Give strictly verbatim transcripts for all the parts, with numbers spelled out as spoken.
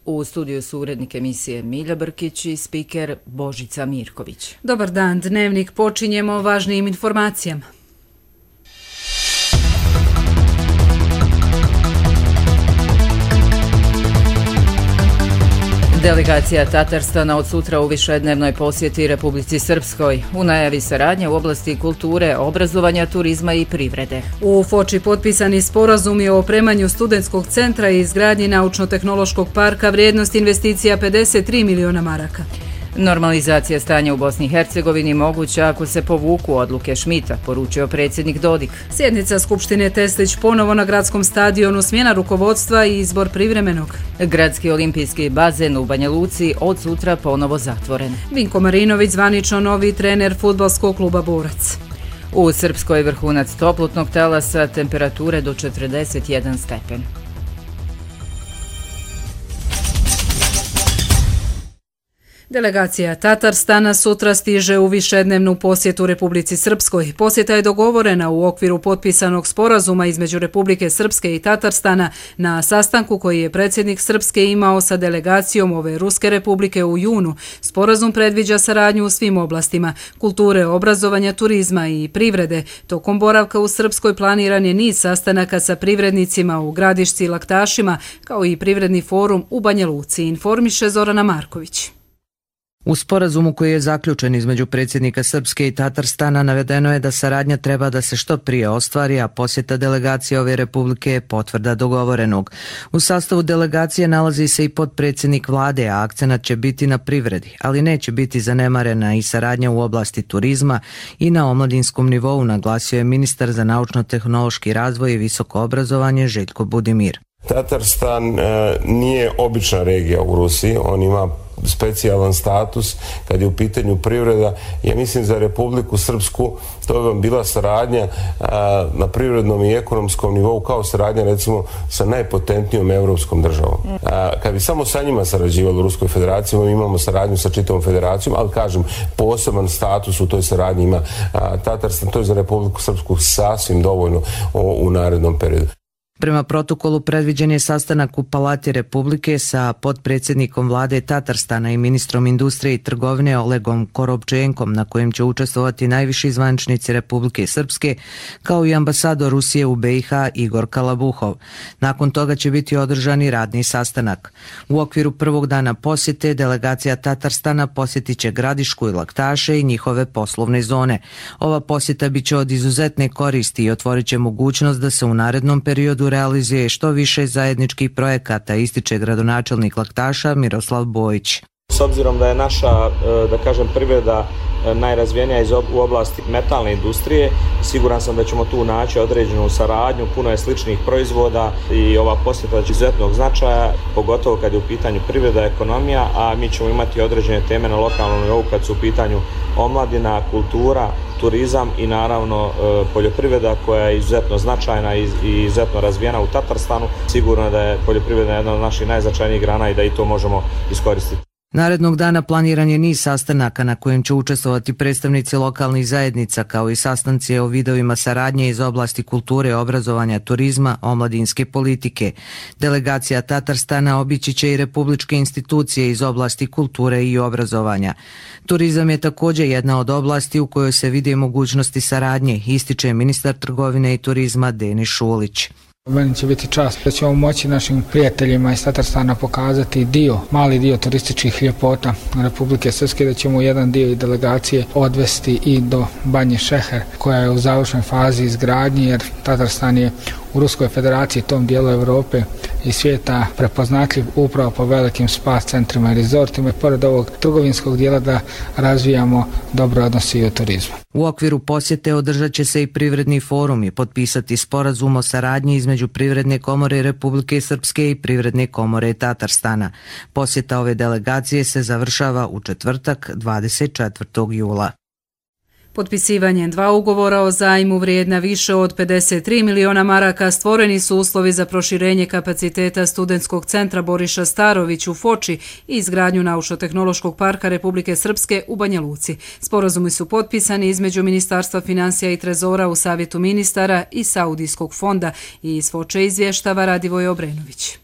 U studiju su urednik emisije Milja Brkić i spiker Božica Mirković. Dobar dan, dnevnik počinjemo važnijim informacijama. Delegacija Tatarstana od sutra u višednevnoj posjeti Republici Srpskoj. U najavi saradnje u oblasti kulture, obrazovanja, turizma i privrede. U Foči potpisani sporazum je o opremanju studentskog centra i izgradnji naučno-tehnološkog parka, vrijednost investicija pedeset tri miliona maraka. Normalizacija stanja u Bosni i Hercegovini moguća ako se povuku odluke Šmita, poručio predsjednik Dodik. Sjednica Skupštine Teslić ponovo na gradskom stadionu, smjena rukovodstva i izbor privremenog. Gradski olimpijski bazen u Banja Luci od sutra ponovo zatvoren. Vinko Marinović zvanično novi trener fudbalskog kluba Borac. U Srpskoj vrhunac toplotnog talasa, temperature do četrdeset jedan stepen. Delegacija Tatarstana sutra stiže u višednevnu posjetu Republici Srpskoj. Posjeta je dogovorena u okviru potpisanog sporazuma između Republike Srpske i Tatarstana na sastanku koji je predsjednik Srpske imao sa delegacijom ove Ruske republike u junu. Sporazum predviđa saradnju u svim oblastima kulture, obrazovanja, turizma i privrede. Tokom boravka u Srpskoj planiran je niz sastanaka sa privrednicima u Gradišci i Laktašima, kao i privredni forum u Banja Luci, informiše Zorana Marković. U sporazumu koji je zaključen između predsjednika Srpske i Tatarstana navedeno je da saradnja treba da se što prije ostvari, a posjeta delegacije ove republike je potvrda dogovorenog. U sastavu delegacije nalazi se i potpredsjednik vlade, a akcenat će biti na privredi, ali neće biti zanemarena i saradnja u oblasti turizma i na omladinskom nivou, naglasio je ministar za naučno-tehnološki razvoj i visoko obrazovanje Željko Budimir. Tatarstan e, nije obična regija u Rusiji, on ima specijalan status kad je u pitanju privreda. Ja mislim za Republiku Srpsku to bi vam bila saradnja a, na privrednom i ekonomskom nivou kao saradnja recimo sa najpotentnijom evropskom državom. A, kad bi samo sa njima sarađivali u Ruskoj federaciji, mi imamo saradnju sa čitavom federacijom, ali kažem, poseban status u toj saradnji ima a, Tatarstan. To je za Republiku Srpsku sasvim dovoljno o, u narednom periodu. Prema protokolu predviđen je sastanak u Palati Republike sa potpredsjednikom vlade Tatarstana i ministrom industrije i trgovine Olegom Korobčenkom, na kojem će učestvovati najviši zvaničnici Republike Srpske, kao i ambasador Rusije u be i ha Igor Kalabuhov. Nakon toga će biti održan i radni sastanak. U okviru prvog dana posjete delegacija Tatarstana posjetit će Gradišku i Laktaše i njihove poslovne zone. Ova posjeta biće od izuzetne koristi i otvorit će mogućnost da se u narednom periodu realizuje što više zajedničkih projekata, ističe gradonačelnik Laktaša Miroslav Bojić. S obzirom da je naša, da kažem, privreda najrazvijenija u oblasti metalne industrije, siguran sam da ćemo tu naći određenu saradnju, puno je sličnih proizvoda i ova posjeta će izuzetnog značaja, pogotovo kad je u pitanju privreda, ekonomija, a mi ćemo imati određene teme na lokalnom nivou kad su u pitanju omladina, kultura, turizam i naravno poljoprivreda koja je izuzetno značajna i izuzetno razvijena u Tatarstanu. Sigurno da je poljoprivreda jedna od naših najznačajnijih grana i da i to možemo iskoristiti. Narednog dana planiran je niz sastanaka na kojem će učestvovati predstavnici lokalnih zajednica, kao i sastanci o vidovima saradnje iz oblasti kulture, obrazovanja, turizma, omladinske politike. Delegacija Tatarstana obići će i republičke institucije iz oblasti kulture i obrazovanja. Turizam je također jedna od oblasti u kojoj se vide mogućnosti saradnje, ističe ministar trgovine i turizma Denis Šulić. Meni će biti čast da ćemo moći našim prijateljima iz Tatarstana pokazati dio, mali dio turističkih ljepota Republike Srpske, da ćemo jedan dio i delegacije odvesti i do Banje Šeher, koja je u završnoj fazi izgradnje, jer Tatarstan je u Ruskoj federaciji, tom dijelu Europe i svijeta, prepoznatljiv upravo po velikim spa centrima i rezortima i pored ovog trgovinskog dijela da razvijamo dobre odnose i u turizmu. U okviru posjete održat će se i privredni forum i potpisati sporazum o saradnji između Privredne komore Republike Srpske i Privredne komore Tatarstana. Posjeta ove delegacije se završava u četvrtak dvadeset četvrtog jula. Potpisivanjem dva ugovora o zajmu vrijedna više od pedeset tri miliona maraka stvoreni su uslovi za proširenje kapaciteta studentskog centra Boriša Starović u Foči i izgradnju naučno-tehnološkog parka Republike Srpske u Banja Luci. Sporazumi su potpisani između Ministarstva financija i trezora u Savjetu ministara i Saudijskog fonda i iz Foče izvještava Radivoj Obrenović.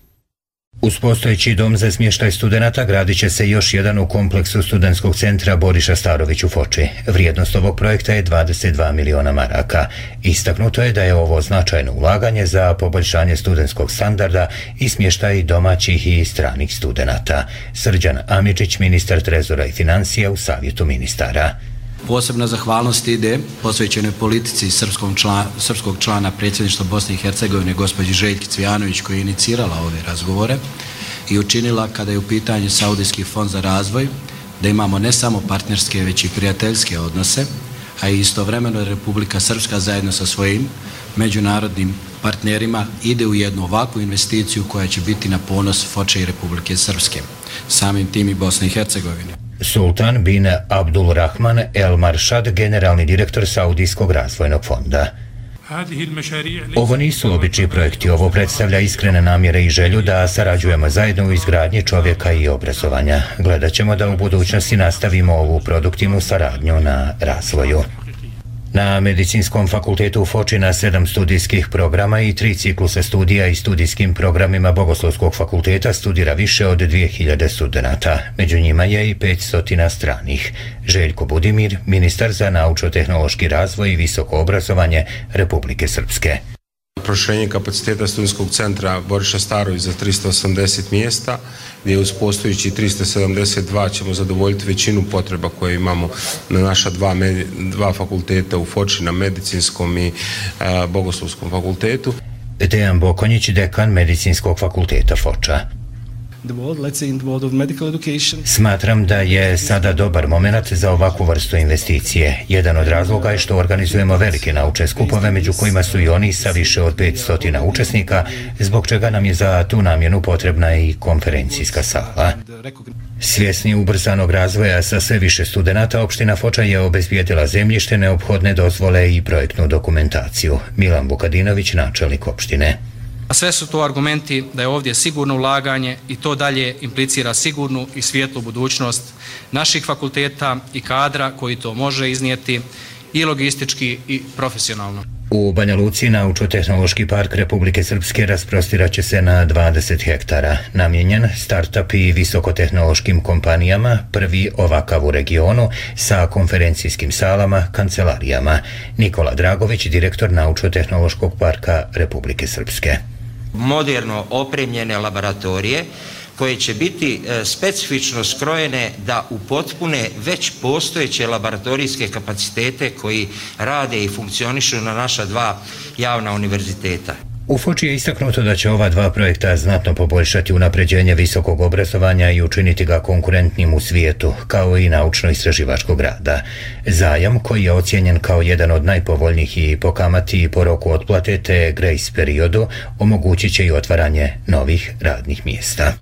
Uz postojeći dom za smještaj studenata gradit će se još jedan u kompleksu studentskog centra Boriša Starović u Foči. Vrijednost ovog projekta je dvadeset dva miliona maraka. Istaknuto je da je ovo značajno ulaganje za poboljšanje studentskog standarda i smještaj domaćih i stranih studenata. Srđan Amidžić, ministar trezora i financija u Savjetu ministara. Posebna zahvalnost ide posvećenoj politici srpskog člana, srpskog člana predsjedništva Bosne i Hercegovine, gospođi Željki Cvijanović, koja je inicirala ove razgovore i učinila, kada je u pitanju Saudijski fond za razvoj, da imamo ne samo partnerske, već i prijateljske odnose, a i istovremeno Republika Srpska zajedno sa svojim međunarodnim partnerima ide u jednu ovakvu investiciju koja će biti na ponos Foče i Republike Srpske, samim tim i Bosne i Hercegovine. Sultan bin Abdul Rahman El Maršad, generalni direktor Saudijskog razvojnog fonda. Ovo nisu obični projekti, ovo predstavlja iskrene namjere i želju da sarađujemo zajedno u izgradnji čovjeka i obrazovanja. Gledat ćemo da u budućnosti nastavimo ovu produktivnu saradnju na razvoju. Na Medicinskom fakultetu u Foči na sedam studijskih programa i tri cikluse studija i studijskim programima Bogoslovskog fakulteta studira više od dvije hiljade studenata. Među njima je i petsto stranih. Željko Budimir, ministar za naučno-tehnološki razvoj i visoko obrazovanje Republike Srpske. Proširenje kapaciteta studentskog centra Boriša Starović za tristo osamdeset mjesta, gdje uz postojići tristo sedamdeset dva ćemo zadovoljiti većinu potreba koje imamo na naša dva, dva fakulteta u Foči, na Medicinskom i a, Bogoslovskom fakultetu. Dejan Bokonjić, dekan Medicinskog fakulteta Foča. Smatram da je sada dobar moment za ovakvu vrstu investicije. Jedan od razloga je što organizujemo velike naučne skupove, među kojima su i oni sa više od petsto učesnika, zbog čega nam je za tu namjenu potrebna i konferencijska sala. Svjesni ubrzanog razvoja sa sve više studenata, opština Foča je obezbijedila zemljište, neophodne dozvole i projektnu dokumentaciju. Milan Vukadinović, načelnik opštine. A sve su to argumenti da je ovdje sigurno ulaganje i to dalje implicira sigurnu i svijetlu budućnost naših fakulteta i kadra koji to može iznijeti i logistički i profesionalno. U Banja Luci naučno-tehnološki park Republike Srpske rasprostirat će se na dvadeset hektara, namijenjen start-up i visokotehnološkim kompanijama, prvi ovakav u regionu, sa konferencijskim salama, kancelarijama. Nikola Dragović, direktor naučno-tehnološkog parka Republike Srpske. Moderno opremljene laboratorije koje će biti specifično skrojene da upotpune već postojeće laboratorijske kapacitete koji rade i funkcionišu na naša dva javna univerziteta. U Foči je istaknuto da će ova dva projekta znatno poboljšati unapređenje visokog obrazovanja i učiniti ga konkurentnim u svijetu, kao i naučno-istraživačkog rada. Zajam, koji je ocijenjen kao jedan od najpovoljnijih i po kamati i po roku otplate te grace periodu, omogućit će i otvaranje novih radnih mjesta.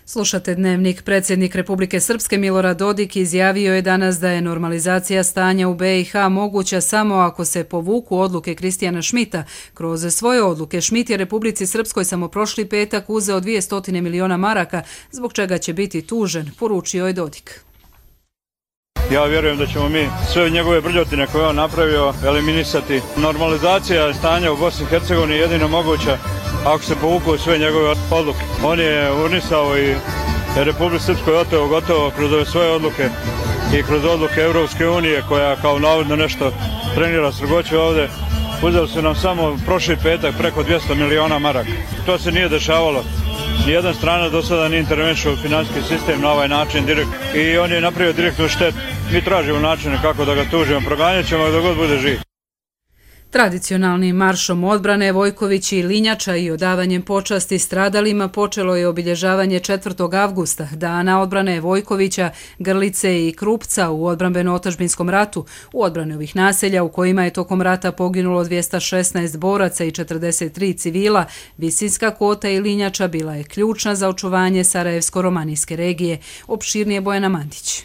Slušate Dnevnik. Predsjednik Republike Srpske Milorad Dodik izjavio je danas da je normalizacija stanja u be i ha moguća samo ako se povuku odluke Kristijana Šmita. Kroz svoje odluke Šmit je Republici Srpskoj samo prošli petak uzeo dvjesto miliona maraka, zbog čega će biti tužen, poručio je Dodik. Ja vjerujem da ćemo mi sve njegove brljotine koje on napravio eliminisati. Normalizacija stanja u Bosni i Hercegovini je jedino moguća ako se povuku sve njegove odluke. On je unisao i Republike Srpskoj oteo gotovo kroz ove svoje odluke i kroz odluke Europske unije koja kao navodno nešto trenira strogoću ovdje. Uzeli su nam samo prošli petak preko dvjesto miliona maraka. To se nije dešavalo. Nijedan strana do sada nije intervenšao u financijski sistem na ovaj način direkt. I on je napravio direktnu štetu. Mi tražimo načine kako da ga tužimo. Proganjat ćemo dok god bude živ. Tradicionalnim maršom odbrane Vojković i Linjača i odavanjem počasti stradalima počelo je obilježavanje četvrtog avgusta, dana odbrane Vojkovića, Grlice i Krupca u odbrambeno-otadžbinskom ratu, u odbrane ovih naselja u kojima je tokom rata poginulo dvjesto šesnaest boraca i četrdeset tri civila. Visinska Kota i Linjača bila je ključna za očuvanje Sarajevsko-romanijske regije. Opširnije Bojana Mandić.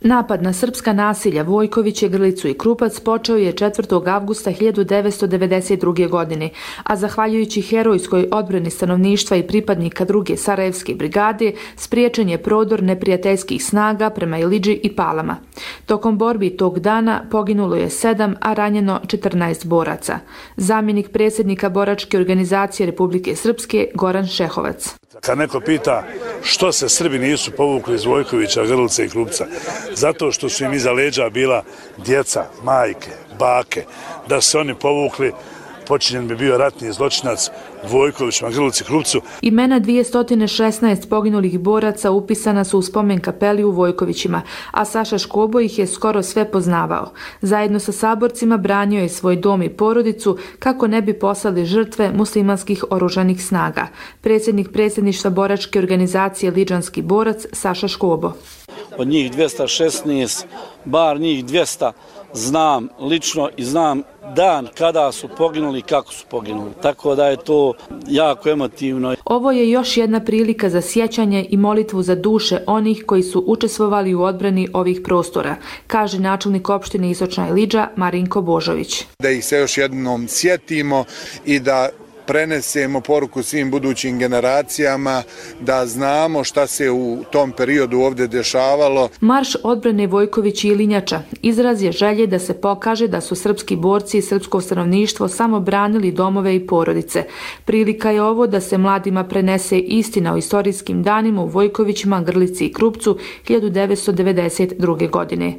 Napad na srpska nasilja Vojkoviće, Grlicu i Krupac počeo je četvrtog avgusta hiljadu devetsto devedeset druge. godine, a zahvaljujući herojskoj odbrani stanovništva i pripadnika druge Sarajevske brigade, spriječen je prodor neprijateljskih snaga prema Ilidži i Palama. Tokom borbi tog dana poginulo je sedam, a ranjeno četrnaest boraca. Zamjenik predsjednika boračke organizacije Republike Srpske Goran Šehovac. Kad neko pita što se Srbi nisu povukli iz Vojkovića, Grlice i Krupca, zato što su im iza leđa bila djeca, majke, bake, da se oni povukli, počinjen bi bio ratni zločinac Vojkovićima, Grlici, Krupcu. Imena dvjesto šesnaest poginulih boraca upisana su u spomen kapeli u Vojkovićima, a Saša Škobo ih je skoro sve poznavao. Zajedno sa saborcima branio je svoj dom i porodicu kako ne bi poslali žrtve muslimanskih oružanih snaga. Predsjednik predsjedništva boračke organizacije Liđanski borac Saša Škobo. Od njih dvjesto šesnaest, bar njih dvjesto znam lično i znam dan kada su poginuli i kako su poginuli. Tako da je to jako emotivno. Ovo je još jedna prilika za sjećanje i molitvu za duše onih koji su učestvovali u odbrani ovih prostora, kaže načelnik opštine Istočna Iliđa Marinko Božović. Da ih se još jednom sjetimo i da prenesemo poruku svim budućim generacijama, da znamo šta se u tom periodu ovdje dešavalo. Marš odbrane Vojković i Ilinjača izraz je želje da se pokaže da su srpski borci i srpsko stanovništvo samo branili domove i porodice. Prilika je ovo da se mladima prenese istina o istorijskim danima u Vojkovićima, Grlici i Krupcu hiljadu devetsto devedeset druge. godine.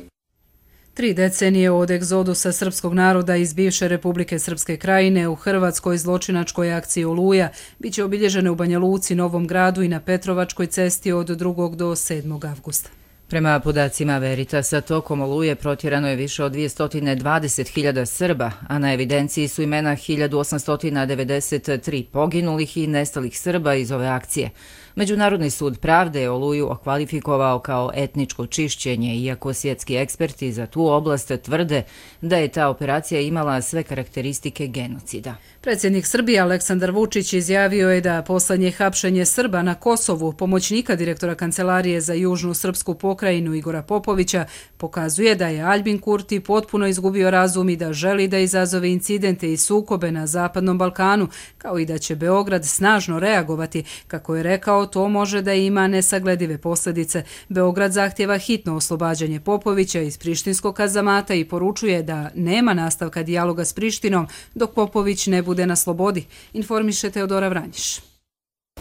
Tri decenije od egzodusa srpskog naroda iz bivše Republike Srpske krajine u Hrvatskoj zločinačkoj akciji Oluja biće obilježene u Banja Luci, Novom Gradu i na Petrovačkoj cesti od drugog do sedmog avgusta. Prema podacima Veritasa, tokom Oluje protjerano je više od dvjesto dvadeset hiljada Srba, a na evidenciji su imena hiljadu osamsto devedeset tri poginulih i nestalih Srba iz ove akcije. Međunarodni sud pravde je Oluju okvalifikovao kao etničko čišćenje, iako svjetski eksperti za tu oblast tvrde da je ta operacija imala sve karakteristike genocida. Predsjednik Srbije Aleksandar Vučić izjavio je da poslednje hapšenje Srba na Kosovu, pomoćnika direktora Kancelarije za južnu srpsku pokrajinu Igora Popovića, pokazuje da je Aljbin Kurti potpuno izgubio razum i da želi da izazove incidente i sukobe na Zapadnom Balkanu, kao i da će Beograd snažno reagovati. Kako je rekao, to može da ima nesagledive posljedice. Beograd zahtjeva hitno oslobađanje Popovića iz prištinskog kazamata i poručuje da nema nastavka dijaloga s Prištinom dok Popović ne bude na slobodi, informiše Teodora Vranjiš.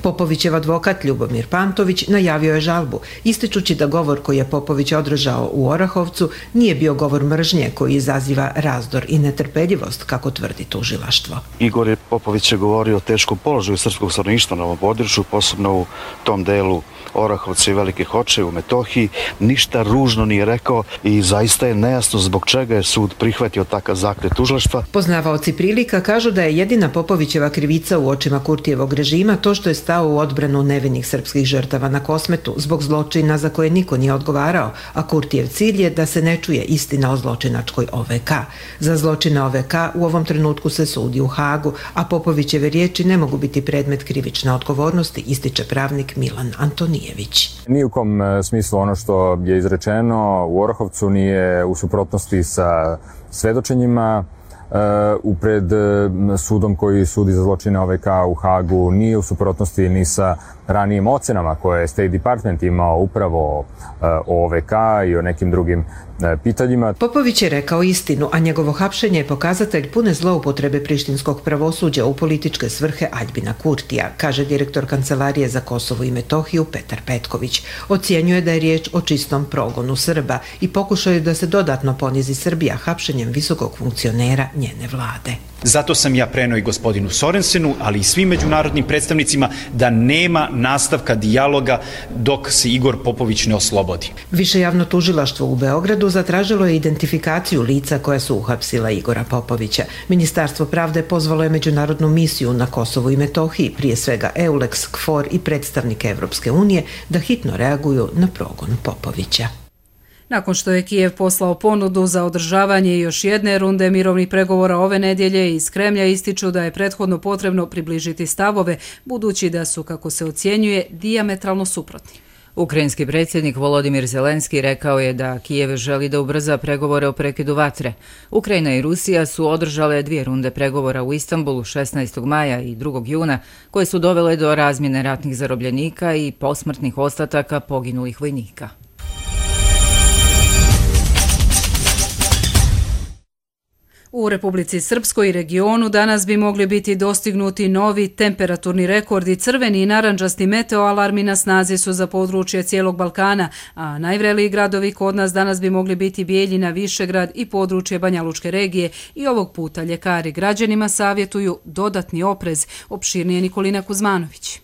Popovićev advokat Ljubomir Pantović najavio je žalbu, ističući da govor koji je Popović održao u Orahovcu nije bio govor mržnje koji izaziva razdor i netrpeljivost, kako tvrdi tužilaštvo. Igor Popović je govorio o teškom položaju srpskog stanovništva na ovom području, posebno u tom delu Orahovca i Velike Hoče u Metohiji. Ništa ružno nije rekao i zaista je nejasno zbog čega je sud prihvatio takav zahtjev tužilaštva. Poznavaoci prilika kažu da je jedina Popovićeva krivica u očima Kurtijevog režima to što je stao u odbranu nevinih srpskih žrtava na Kosmetu zbog zločina za koje niko nije odgovarao, a Kurtijev cilj je da se ne čuje istina o zločinačkoj O V K. Za zločine O V K u ovom trenutku se sudi u Hagu, a Popovićeve riječi ne mogu biti predmet krivične odgovornosti, ističe pravnik Milan Antonijević. Ni u kom smislu ono što je izrečeno u Orahovcu nije u suprotnosti sa svedočenjima u pred sudom koji sudi za zločine O V K u Hagu, nije u suprotnosti ni sa ranijim ocenama koje je State Department imao upravo o O V K i o nekim drugim pitanjima. Popović je rekao istinu, a njegovo hapšenje je pokazatelj pune zloupotrebe prištinskog pravosuđa u političke svrhe Aljbina Kurtija, kaže direktor Kancelarije za Kosovo i Metohiju Petar Petković. Ocjenjuje da je riječ o čistom progonu Srba i pokušaju da se dodatno ponizi Srbija hapšenjem visokog funkcionera njene vlade. Zato sam ja preneo i gospodinu Sorensenu, ali i svim međunarodnim predstavnicima da nema nastavka dijaloga dok se Igor Popović ne oslobodi. Više javno tužilaštvo u Beogradu zatražilo je identifikaciju lica koja su uhapsila Igora Popovića. Ministarstvo pravde pozvalo je međunarodnu misiju na Kosovu i Metohiji, prije svega EULEX, KFOR i predstavnike Evropske unije, da hitno reaguju na progon Popovića. Nakon što je Kijev poslao ponudu za održavanje još jedne runde mirovnih pregovora ove nedjelje, iz Kremlja ističu da je prethodno potrebno približiti stavove, budući da su, kako se ocjenjuje, dijametralno suprotni. Ukrajinski predsjednik Volodimir Zelenski rekao je da Kijev želi da ubrza pregovore o prekidu vatre. Ukrajina i Rusija su održale dvije runde pregovora u Istanbulu šesnaestog maja i drugog juna, koje su dovele do razmjene ratnih zarobljenika i posmrtnih ostataka poginulih vojnika. U Republici Srpskoj i regionu danas bi mogli biti dostignuti novi temperaturni rekordi. Crveni i narandžasti meteoalarmi na snazi su za područje cijelog Balkana, a najvreliji gradovi kod nas danas bi mogli biti Bijeljina, Višegrad i područje Banjalučke regije. I ovog puta ljekari građanima savjetuju dodatni oprez. Opširnije Nikolina Kuzmanović.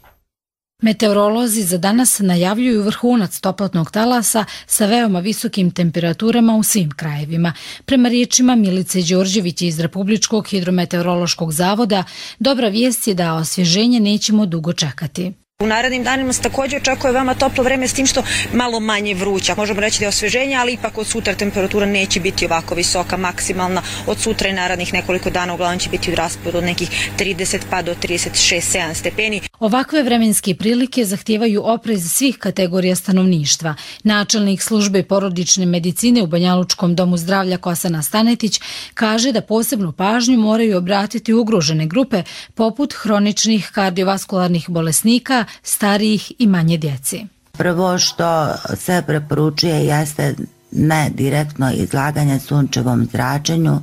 Meteorolozi za danas najavljuju vrhunac toplotnog talasa sa veoma visokim temperaturama u svim krajevima. Prema riječima Milice Đorđević iz Republičkog hidrometeorološkog zavoda, dobra vijest je da osvježenje nećemo dugo čekati. U narednim danima se također očekuje veoma toplo vreme s tim što malo manje vruća. Možemo reći da je osvježenje, ali ipak od sutra temperatura neće biti ovako visoka, maksimalna. Od sutra i narednih nekoliko dana uglavnom će biti u rasporedu od nekih trideset pa do trideset šest sedam stepeni. Ovakve vremenske prilike zahtijevaju oprez svih kategorija stanovništva. Načelnik službe porodične medicine u Banjalučkom domu zdravlja Kosana Stanetić kaže da posebnu pažnju moraju obratiti ugrožene grupe poput hroničnih kardiovaskularnih bolesnika, starijih i manje djeci. Prvo što se preporučuje jeste ne direktno izlaganje sunčevom zračenju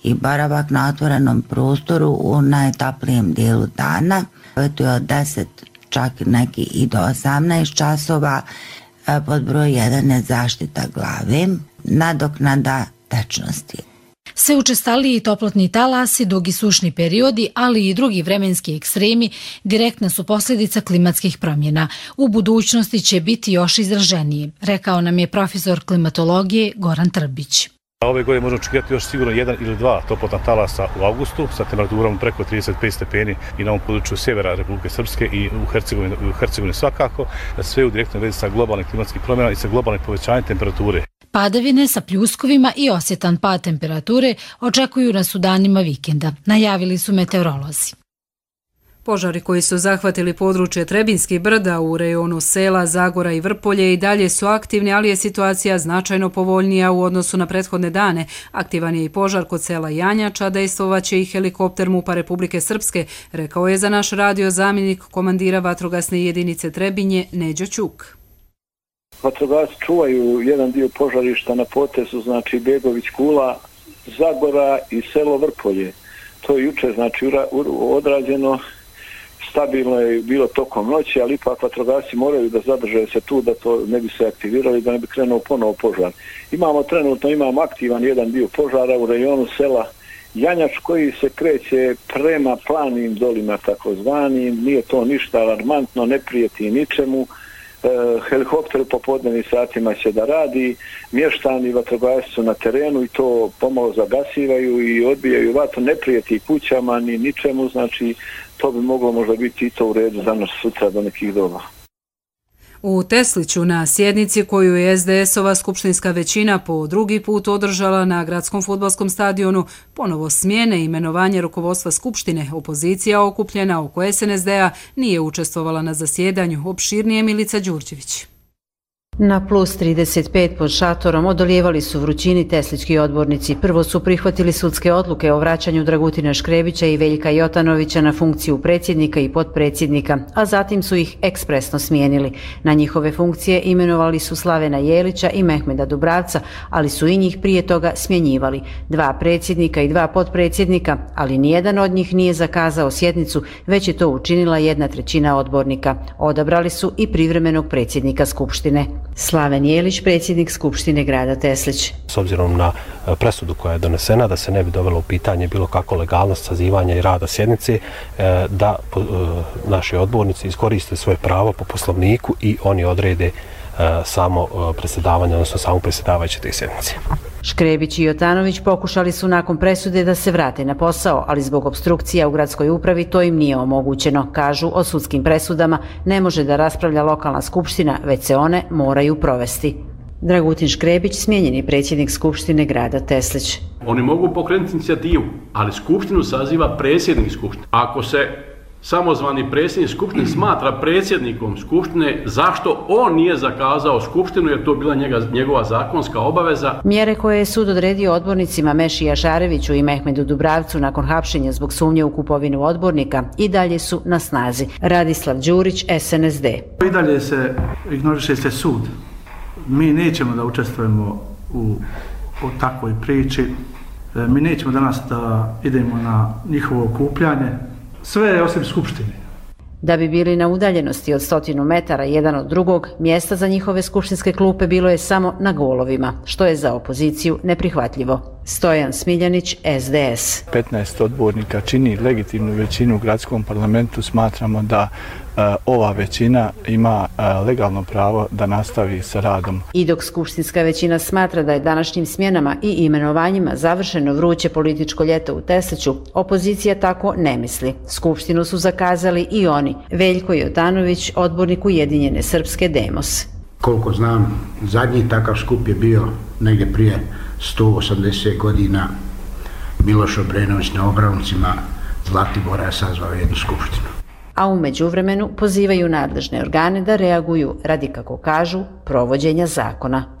i boravak na otvorenom prostoru u najtoplijem dijelu dana. To je od deset, čak neki i do osamnaest časova. Pod broj jedan je zaštita glave, nadoknada tečnosti. Sve učestaliji toplotni talasi, dugi sušni periodi, ali i drugi vremenski ekstremi direktna su posljedica klimatskih promjena. U budućnosti će biti još izraženiji, rekao nam je profesor klimatologije Goran Trbić. Ove godine možemo očekivati još sigurno jedan ili dva toplotna talasa u avgustu sa temperaturom preko trideset pet stepeni i na ovom području sjevera Republike Srpske i u Hercegovini, u Hercegovini svakako, sve u direktnoj vezi sa globalnim klimatskih promjena i sa globalnim povećanjem temperature. Padavine sa pljuskovima i osjetan pad temperature očekuju nas u danima vikenda, najavili su meteorolozi. Požari koji su zahvatili područje Trebinskih brda u rejonu sela Zagora i Vrpolje i dalje su aktivni, ali je situacija značajno povoljnija u odnosu na prethodne dane. Aktivan je i požar kod sela Janjača, dejstvovaće i helikopter MUP-a Republike Srpske, rekao je za naš radio zamjenik komandira vatrogasne jedinice Trebinje Neđo Ćuk. Vatrogasci čuvaju jedan dio požarišta na potezu, znači Begović Kula, Zagora i selo Vrpolje. To je juče znači odrađeno, stabilno je bilo tokom noći, ali ipak vatrogasci moraju da zadrže se tu, da to ne bi se aktivirali, da ne bi krenuo ponovo požar. Imamo trenutno, imamo aktivan jedan dio požara u rejonu sela Janjač koji se kreće prema planim dolima takozvanim, nije to ništa alarmantno, ne prijeti ničemu. Helikopter u popodnevnim satima će da radi, mještani vatrogasci su na terenu i to pomalo zagasivaju i odbijaju vatru, ne prijeti kućama ni ničemu, znači to bi moglo možda biti i to u redu za nas sutra do nekih doba. U Tesliću na sjednici koju je es de es-ova skupštinska većina po drugi put održala na gradskom fudbalskom stadionu, ponovo smjene i imenovanje rukovodstva skupštine, opozicija okupljena oko es en es de-a nije učestvovala na zasjedanju, opširnije Milica Đurđević. Na plus trideset pet pod šatorom odolijevali su vrućini teslički odbornici. Prvo su prihvatili sudske odluke o vraćanju Dragutina Škrebića i Veljka Jotanovića na funkciju predsjednika i potpredsjednika, a zatim su ih ekspresno smijenili. Na njihove funkcije imenovali su Slavena Jelića i Mehmeda Dubravca, ali su i njih prije toga smjenjivali. Dva predsjednika i dva potpredsjednika, ali nijedan od njih nije zakazao sjednicu, već je to učinila jedna trećina odbornika. Odabrali su i privremenog predsjednika Skupštine. Slaven Jelić, predsjednik Skupštine grada Teslić. S obzirom na presudu koja je donesena, da se ne bi dovelo u pitanje bilo kako legalnost sazivanja i rada sjednice, da naši odbornici iskoriste svoje pravo po poslovniku i oni odrede samo predsjedavanje, odnosno samo predsjedavajuće te sjednice. Škrebić i Jotanović pokušali su nakon presude da se vrate na posao, ali zbog obstrukcija u gradskoj upravi to im nije omogućeno. Kažu, o sudskim presudama ne može da raspravlja lokalna skupština, već se one moraju provesti. Dragutin Škrebić, smijenjeni predsjednik Skupštine grada Teslić. Oni mogu pokrenuti inicijativu, ali skupštinu saziva predsjednik skupštine. Ako se samozvani predsjednik skupštine smatra predsjednikom skupštine, zašto on nije zakazao skupštinu, jer to bila njega, njegova zakonska obaveza. Mjere koje je sud odredio odbornicima Meši Jašareviću i Mehmedu Dubravcu nakon hapšenja zbog sumnje u kupovinu odbornika i dalje su na snazi. Radislav Đurić, es en es de. I dalje se ignoriše se sud. Mi nećemo da učestvujemo u, u takvoj priči. Mi nećemo danas da idemo na njihovo okupljanje, sve je osim skupštine. Da bi bili na udaljenosti od stotinu metara jedan od drugog, mjesta za njihove skupštinske klupe bilo je samo na golovima, što je za opoziciju neprihvatljivo. Stojan Smiljanić, S D S. petnaest odbornika čini legitimnu većinu u gradskom parlamentu. Smatramo da uh, ova većina ima uh, legalno pravo da nastavi sa radom. I dok skupštinska većina smatra da je današnjim smjenama i imenovanjima završeno vruće političko ljeto u Tesliću, opozicija tako ne misli. Skupštinu su zakazali i oni. Veljko Jotanović, odbornik Ujedinjene Srpske Demos. Koliko znam, zadnji takav skup je bio negdje prije sto osamdeset godina. Miloš Obrenović na Obravncima Zlatibora je sazvao jednu skupštinu. A u međuvremenu pozivaju nadležne organe da reaguju radi, kako kažu, provođenja zakona.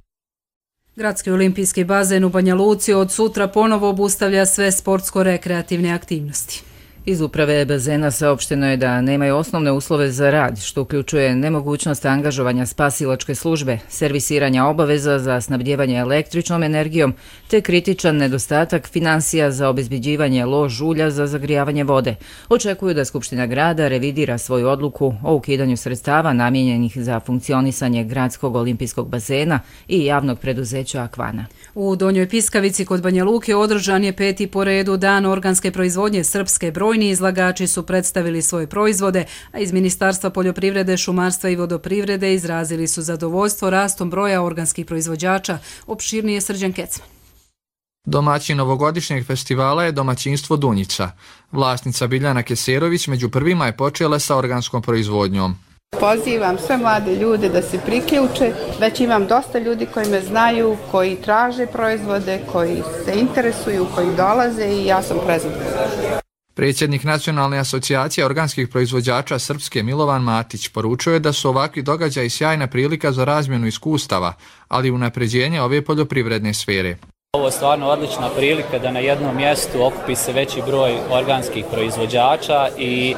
Gradski olimpijski bazen u Banja Luci od sutra ponovo obustavlja sve sportsko-rekreativne aktivnosti. Iz uprave bazena saopšteno je da nemaju osnovne uslove za rad, što uključuje nemogućnost angažovanja spasilačke službe, servisiranja obaveza za snabdjevanje električnom energijom, te kritičan nedostatak financija za obezbeđivanje lož ulja za zagrijavanje vode. Očekuju da Skupština grada revidira svoju odluku o ukidanju sredstava namijenjenih za funkcionisanje gradskog olimpijskog bazena i javnog preduzeća Akvana. U Donjoj Piskavici kod Banja Luke održan je peti po redu dan organske proizvodnje Srpske. Brojni izlagači su predstavili svoje proizvode, a iz Ministarstva poljoprivrede, šumarstva i vodoprivrede izrazili su zadovoljstvo rastom broja organskih proizvođača. Opširnije Srđan Kecman. Domaćin ovogodišnjeg festivala je domaćinstvo Dunjica. Vlasnica Biljana Keserović među prvima je počela sa organskom proizvodnjom. Pozivam sve mlade ljude da se priključe, već imam dosta ljudi koji me znaju, koji traže proizvode, koji se interesuju, koji dolaze i ja sam prezadovoljna. Predsjednik Nacionalne asocijacije organskih proizvođača Srpske Milovan Matić poručuje da su ovakvi događaji sjajna prilika za razmjenu iskustava, ali i unapređenje ove poljoprivredne sfere. Ovo je stvarno odlična prilika da na jednom mjestu okupi se veći broj organskih proizvođača i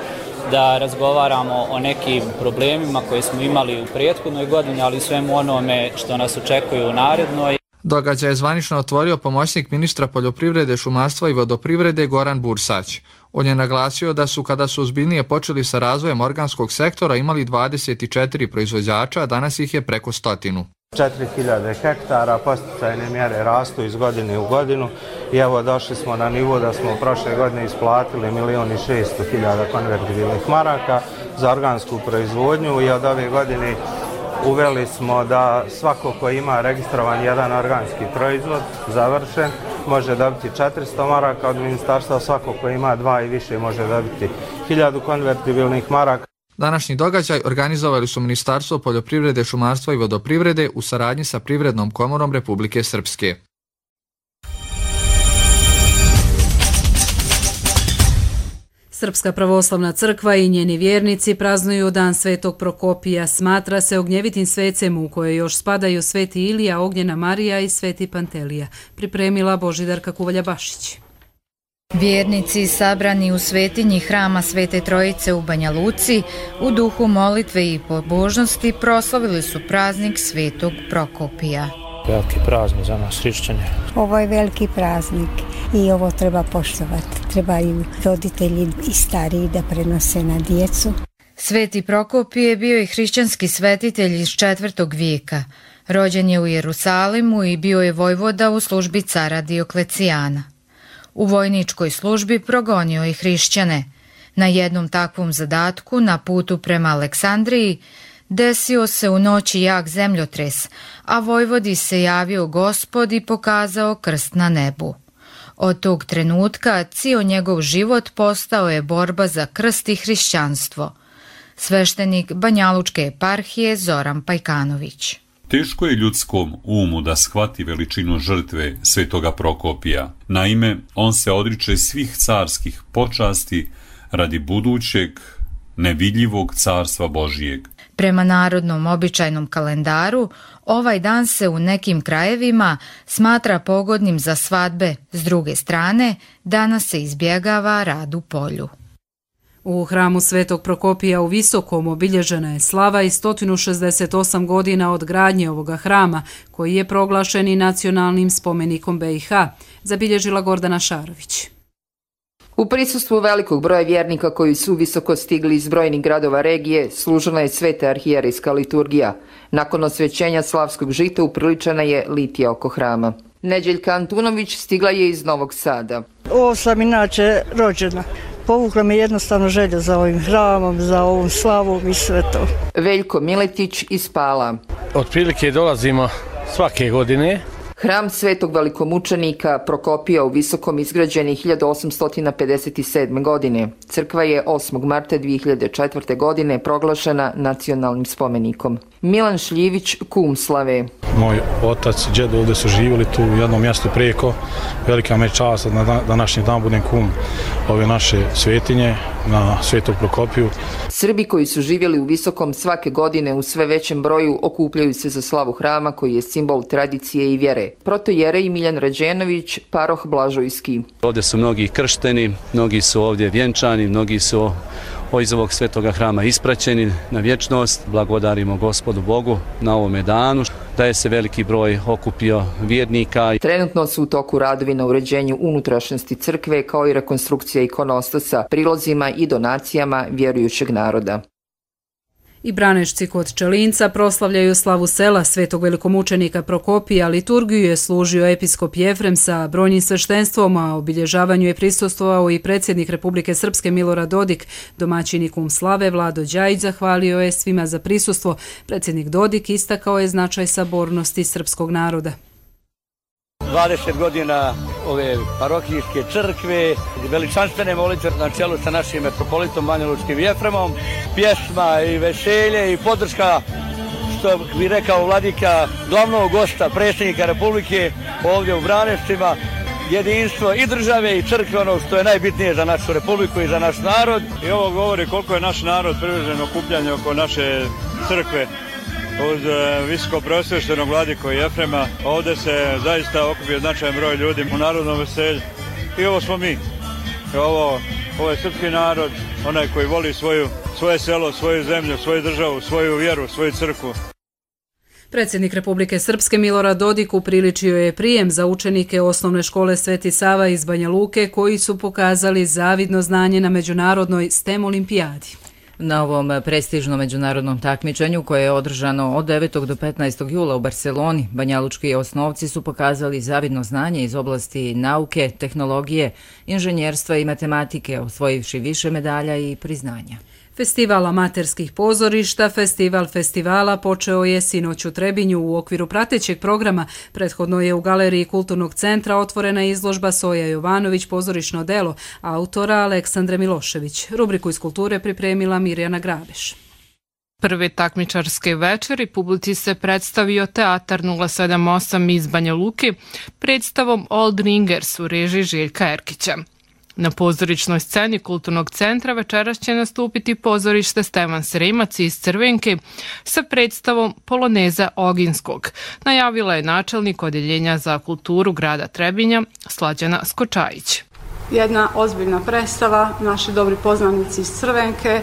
da razgovaramo o nekim problemima koje smo imali u prethodnoj godini, ali i svemu onome što nas očekuje u narednoj. Događaj je zvanično otvorio pomoćnik ministra poljoprivrede, šumarstva i vodoprivrede Goran Bursać. On je naglasio da su, kada su ozbiljnije počeli sa razvojem organskog sektora, imali dvadeset četiri proizvođača, a danas ih je preko stotinu. četiri hiljade hektara, posticajne mjere rastu iz godine u godinu i evo došli smo na nivo da smo prošle godine isplatili milion i šesto hiljada konvertibilnih maraka za organsku proizvodnju i od ove godine uveli smo da svako ko ima registrovan jedan organski proizvod završen može dobiti četiristo maraka od ministarstva, svako ko ima dva i više može dobiti hiljadu konvertibilnih maraka. Današnji događaj organizovali su Ministarstvo poljoprivrede, šumarstva i vodoprivrede u saradnji sa Privrednom komorom Republike Srpske. Srpska pravoslavna crkva i njeni vjernici praznuju dan Svetog Prokopija. Smatra se ognjevitim svecem u koje još spadaju Sveti Ilija, Ognjena Marija i Sveti Pantelija. Pripremila Božidarka Kuvalja-Bašić. Vjernici sabrani u svetinji hrama Svete Trojice u Banja Luci u duhu molitve i pobožnosti proslavili su praznik Svetog Prokopija. Veliki praznik za nas hrišćane. Ovo je veliki praznik i ovo treba poštovati. Trebaju roditelji i stariji da prenose na djecu. Sveti Prokopije je bio i hrišćanski svetitelj iz četvrtog vijeka. Rođen je u Jerusalimu i bio je vojvoda u službi cara Dioklecijana. U vojničkoj službi progonio je hrišćane. Na jednom takvom zadatku na putu prema Aleksandriji desio se u noći jak zemljotres, a vojvodi se javio Gospod i pokazao krst na nebu. Od tog trenutka cijel njegov život postao je borba za krst i hrišćanstvo. Sveštenik Banjalučke eparhije Zoran Pajkanović. Teško je ljudskom umu da shvati veličinu žrtve Svetoga Prokopija. Naime, on se odriče svih carskih počasti radi budućeg, nevidljivog carstva Božijeg. Prema narodnom običajnom kalendaru, ovaj dan se u nekim krajevima smatra pogodnim za svadbe. S druge strane, danas se izbjegava rad u polju. U hramu Svetog Prokopija u Visokom obilježena je slava i sto šezdeset osam godina od gradnje ovoga hrama, koji je proglašen i nacionalnim spomenikom B i H, zabilježila Gordana Šarović. U prisustvu velikog broja vjernika koji su visoko stigli iz brojnih gradova regije, služila je sveta arhijerejska liturgija. Nakon osvećenja slavskog žita upriličena je litija oko hrama. Neđeljka Antunović stigla je iz Novog Sada. Ovo sam inače rođena. Povukla me jednostavno želja za ovim hramom, za ovom slavom i sve to. Veljko Miletić iz Pala. Otprilike dolazimo svake godine. Hram Svetog velikomučenika Prokopija u Visokom izgrađen je hiljadu osamsto pedeset sedme. godine. Crkva je osmog marta dvije hiljade četvrte. godine proglašena nacionalnim spomenikom. Milan Šljivić, kum Slave. Moj otac i džed ovdje su živjeli tu u jednom mjestu preko. Velika me čast da na današnji dan budem kum ove naše svetinje na Svetog Prokopiju. Srbi koji su živjeli u Visokom svake godine u sve većem broju okupljaju se za slavu hrama koji je simbol tradicije i vjere. Protojerej Miljan Rađenović, paroh Blažojski. Ovdje su mnogi kršteni, mnogi su ovdje vjenčani, mnogi su iz ovog svetoga hrama ispraćeni na vječnost. Blagodarimo Gospodu Bogu na ovome danu da je se veliki broj okupio vjernika. Trenutno su u toku radovi na uređenju unutrašnjosti crkve kao i rekonstrukcija ikonostosa, prilozima i donacijama vjerujućeg naroda. I Branešci kod Čelinca proslavljaju slavu sela Svetog velikomučenika Prokopija. Liturgiju je služio episkop Jefrem sa brojnim sveštenstvom, a obilježavanju je prisustvovao i predsjednik Republike Srpske Milorad Dodik. Domaćini kum slave Vlado Đajić zahvalio je svima za prisustvo. Predsjednik Dodik istakao je značaj sabornosti srpskog naroda. dvadeset godina ove parohijske crkve, veličanstvene molitve na čelu sa našim metropolitom Banjalučkim Jefremom, pjesma i veselje i podrška, što bi rekao vladika, glavnog gosta, predsjednika Republike ovdje u Branešcima, jedinstvo i države i crkve, ono što je najbitnije za našu Republiku i za naš narod. I ovo govori koliko je naš narod privržen okupljanju oko naše crkve. Uz visoko preosvještenog vladiko Jefrema, ovdje se zaista okupio značajan broj ljudi u narodnom veselju. I ovo smo mi. Ovo, ovo je srpski narod, onaj koji voli svoju, svoje selo, svoju zemlju, svoju državu, svoju vjeru, svoju crkvu. Predsjednik Republike Srpske Milorad Dodik upriličio je prijem za učenike osnovne škole Sveti Sava iz Banja Luke koji su pokazali zavidno znanje na međunarodnoj STEM olimpijadi. Na ovom prestižnom međunarodnom takmičenju koje je održano od devetog do petnaestog jula u Barseloni, banjalučki osnovci su pokazali zavidno znanje iz oblasti nauke, tehnologije, inženjerstva i matematike, osvojivši više medalja i priznanja. Festival amaterskih pozorišta, Festival festivala počeo je sinoć u Trebinju u okviru pratećeg programa. Prethodno je u Galeriji Kulturnog centra otvorena izložba Soja Jovanović pozorišno delo, autora Aleksandre Milošević. Rubriku iz kulture pripremila Mirjana Grabeš. Prve takmičarske večeri publici se predstavio Teatar nula sedam osam iz Banja Luke predstavom Old Ringers u režiji Željka Erkića. Na pozorišnoj sceni Kulturnog centra večeras će nastupiti pozorište Stevan Sremac iz Crvenke sa predstavom Poloneza Oginskog, najavila je načelnik Odjeljenja za kulturu grada Trebinja Slađana Skočajić. Jedna ozbiljna predstava, naši dobri poznanici iz Crvenke,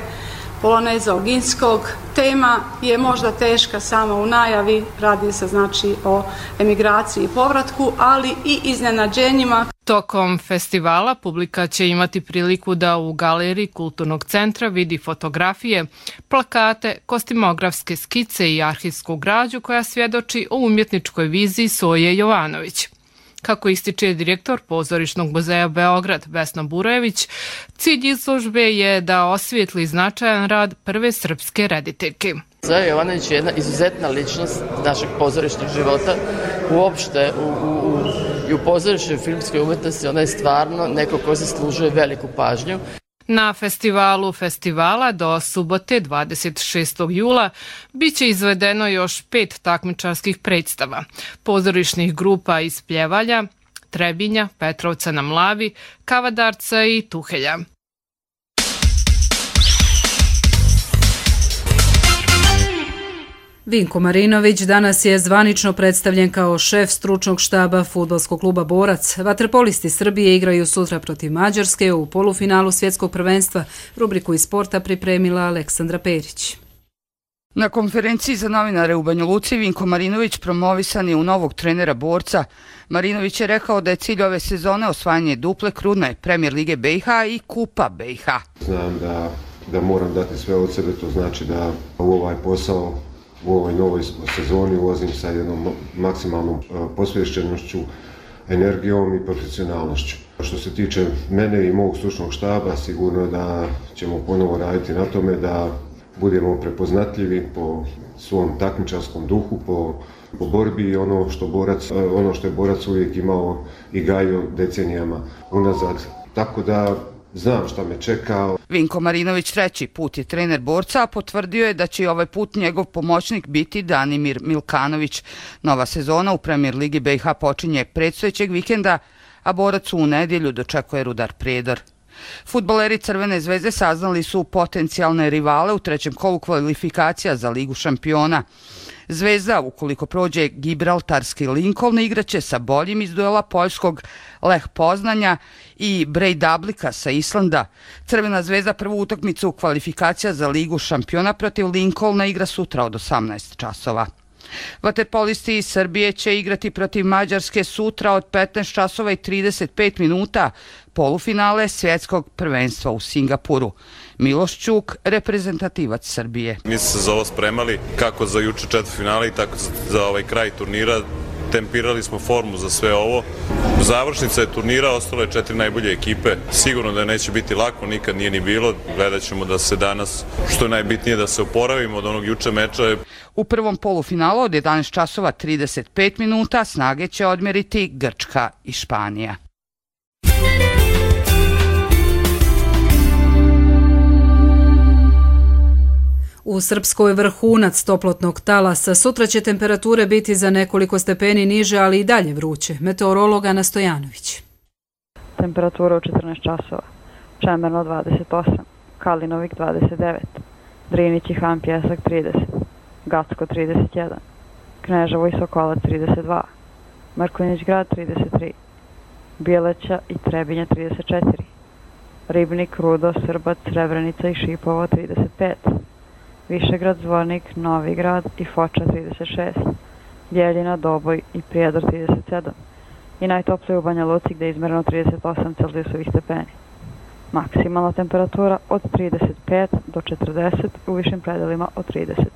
Poloneza Oginskog. Tema je možda teška sama u najavi, radi se znači o emigraciji i povratku, ali i iznenađenjima. Tokom festivala publika će imati priliku da u galeriji Kulturnog centra vidi fotografije, plakate, kostimografske skice i arhivsku građu koja svjedoči o umjetničkoj viziji Soje Jovanović. Kako ističe direktor Pozorišnog muzeja Beograd Vesna Burojević, cilj izložbe je da osvijetli značajan rad prve srpske rediteljke. Soja Jovanović je jedna izuzetna ličnost našeg pozorišnog života, uopšte u, u, u, i u pozorišnoj filmskoj umjetnosti. Ona je stvarno neko ko zaslužuje veliku pažnju. Na festivalu festivala do subote dvadeset šestog jula bit će izvedeno još pet takmičarskih predstava, pozorišnih grupa iz Pljevalja, Trebinja, Petrovca na Mlavi, Kavadarca i Tuhelja. Vinko Marinović danas je zvanično predstavljen kao šef stručnog štaba fudbalskog kluba Borac. Vaterpolisti Srbije igraju sutra protiv Mađarske u polufinalu svjetskog prvenstva. Rubriku iz sporta pripremila Aleksandra Perić. Na konferenciji za novinare u Banja Luci Vinko Marinović promovisan je u novog trenera Borca. Marinović je rekao da je cilj ove sezone osvajanje duple krune Premijer lige B i H i Kupa B i H. Znam da, da moram dati sve od sebe, to znači da u ovaj posao u ovoj novoj sezoni ulazim sa jednom maksimalnom posvećenošću, energijom i profesionalnošću. Što se tiče mene i mog stručnog štaba, sigurno da ćemo ponovo raditi na tome da budemo prepoznatljivi po svom takmičarskom duhu, po, po borbi i ono što, borac, ono što je Borac uvijek imao i gajio decenijama unazad. Tako da znam šta me čeka. Vinko Marinović treći put je trener Borca, a potvrdio je da će i ovaj put njegov pomoćnik biti Danimir Milkanović. Nova sezona u Premijer ligi B i H počinje predstojećeg vikenda, a Borac u nedjelju dočekuje Rudar Prijedor. Fudbaleri Crvene zvezde saznali su potencijalne rivale u trećem kolu kvalifikacija za Ligu šampiona. Zvezda, ukoliko prođe gibraltarski Lincoln, igraće sa boljim iz duela poljskog Lech Poznanja i Breidablika sa Islanda. Crvena zvezda prvu utakmicu u kvalifikacija za Ligu šampiona protiv Lincolna igra sutra od osamnaest časova. Vaterpolisti iz Srbije će igrati protiv Mađarske sutra od petnaest časova i trideset pet minuta, polufinale svjetskog prvenstva u Singapuru. Miloš Ćuk, reprezentativac Srbije. Mi smo se za ovo spremali kako za juče četvrtfinale i tako za ovaj kraj turnira. Tempirali smo formu za sve ovo. Završnica je turnira, ostalo je četiri najbolje ekipe. Sigurno da neće biti lako, nikad nije ni bilo. Gledat ćemo da se danas, što je najbitnije, da se oporavimo od onog juče meča. U prvom polufinalu od jedanaest časova trideset pet minuta snage će odmjeriti Grčka i Španija. U Srpskoj vrhunac toplotnog talasa. Sutra će temperature biti za nekoliko stepeni niže, ali i dalje vruće. Meteorolog Ana Stojanović. Temperatura u četrnaest časova. Čemerno dvadeset osam, Kalinovik dvadeset devet, Drinić i Han Pjesak trideset, Gacko trideset jedan, Kneževo i Sokolac trideset dva, Mrkonjić Grad trideset tri, Bijeleća i Trebinje trideset četiri, Ribnik, Rudo, Srbac, Srebrenica i Šipovo trideset pet, Višegrad, Zvornik, Novi Grad i Foča trideset šest, Bjeljina, Doboj i Prijedor trideset sedam i najtoplije u Banja Luci gdje je izmjereno trideset osam Celzijusovih stepeni. Maksimalna temperatura od trideset pet do četrdeset, u višim predelima od trideset.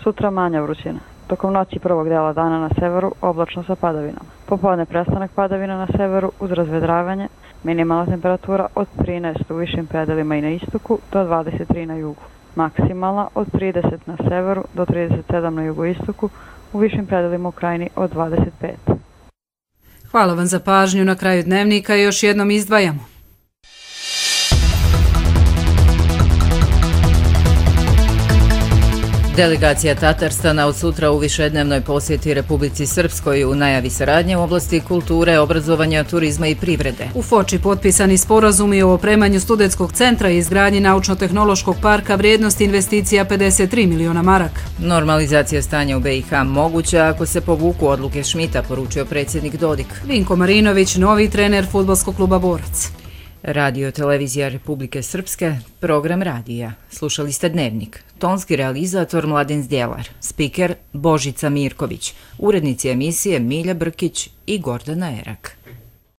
Sutra manja vrućina. Tokom noći prvog dela dana na severu oblačno sa padavinama. Popodne prestanak padavina na severu uz razvedravanje, minimalna temperatura od trinaest u višim predelima i na istoku do dvadeset tri na jugu. Maksimalna od trideset na severu do trideset sedam na jugoistoku, u višim predelima u krajini od dvadeset pet. Hvala vam za pažnju. Na kraju dnevnika još jednom izdvajamo. Delegacija Tatarstana od sutra u višednevnoj posjeti Republici Srpskoj u najavi saradnje u oblasti kulture, obrazovanja, turizma i privrede. U Foči potpisani sporazumi o opremanju studentskog centra i izgradnji naučno-tehnološkog parka vrijednosti investicija pedeset tri miliona maraka. Normalizacija stanja u B i H moguća ako se povuku odluke Šmita, poručio predsjednik Dodik. Vinko Marinović, novi trener fudbalskog kluba Borac. Radio televizija Republike Srpske, program radija. Slušali ste Dnevnik. Tonski realizator Mladen Zdjelar, spiker Božica Mirković, urednici emisije Milja Brkić i Gordana Erak.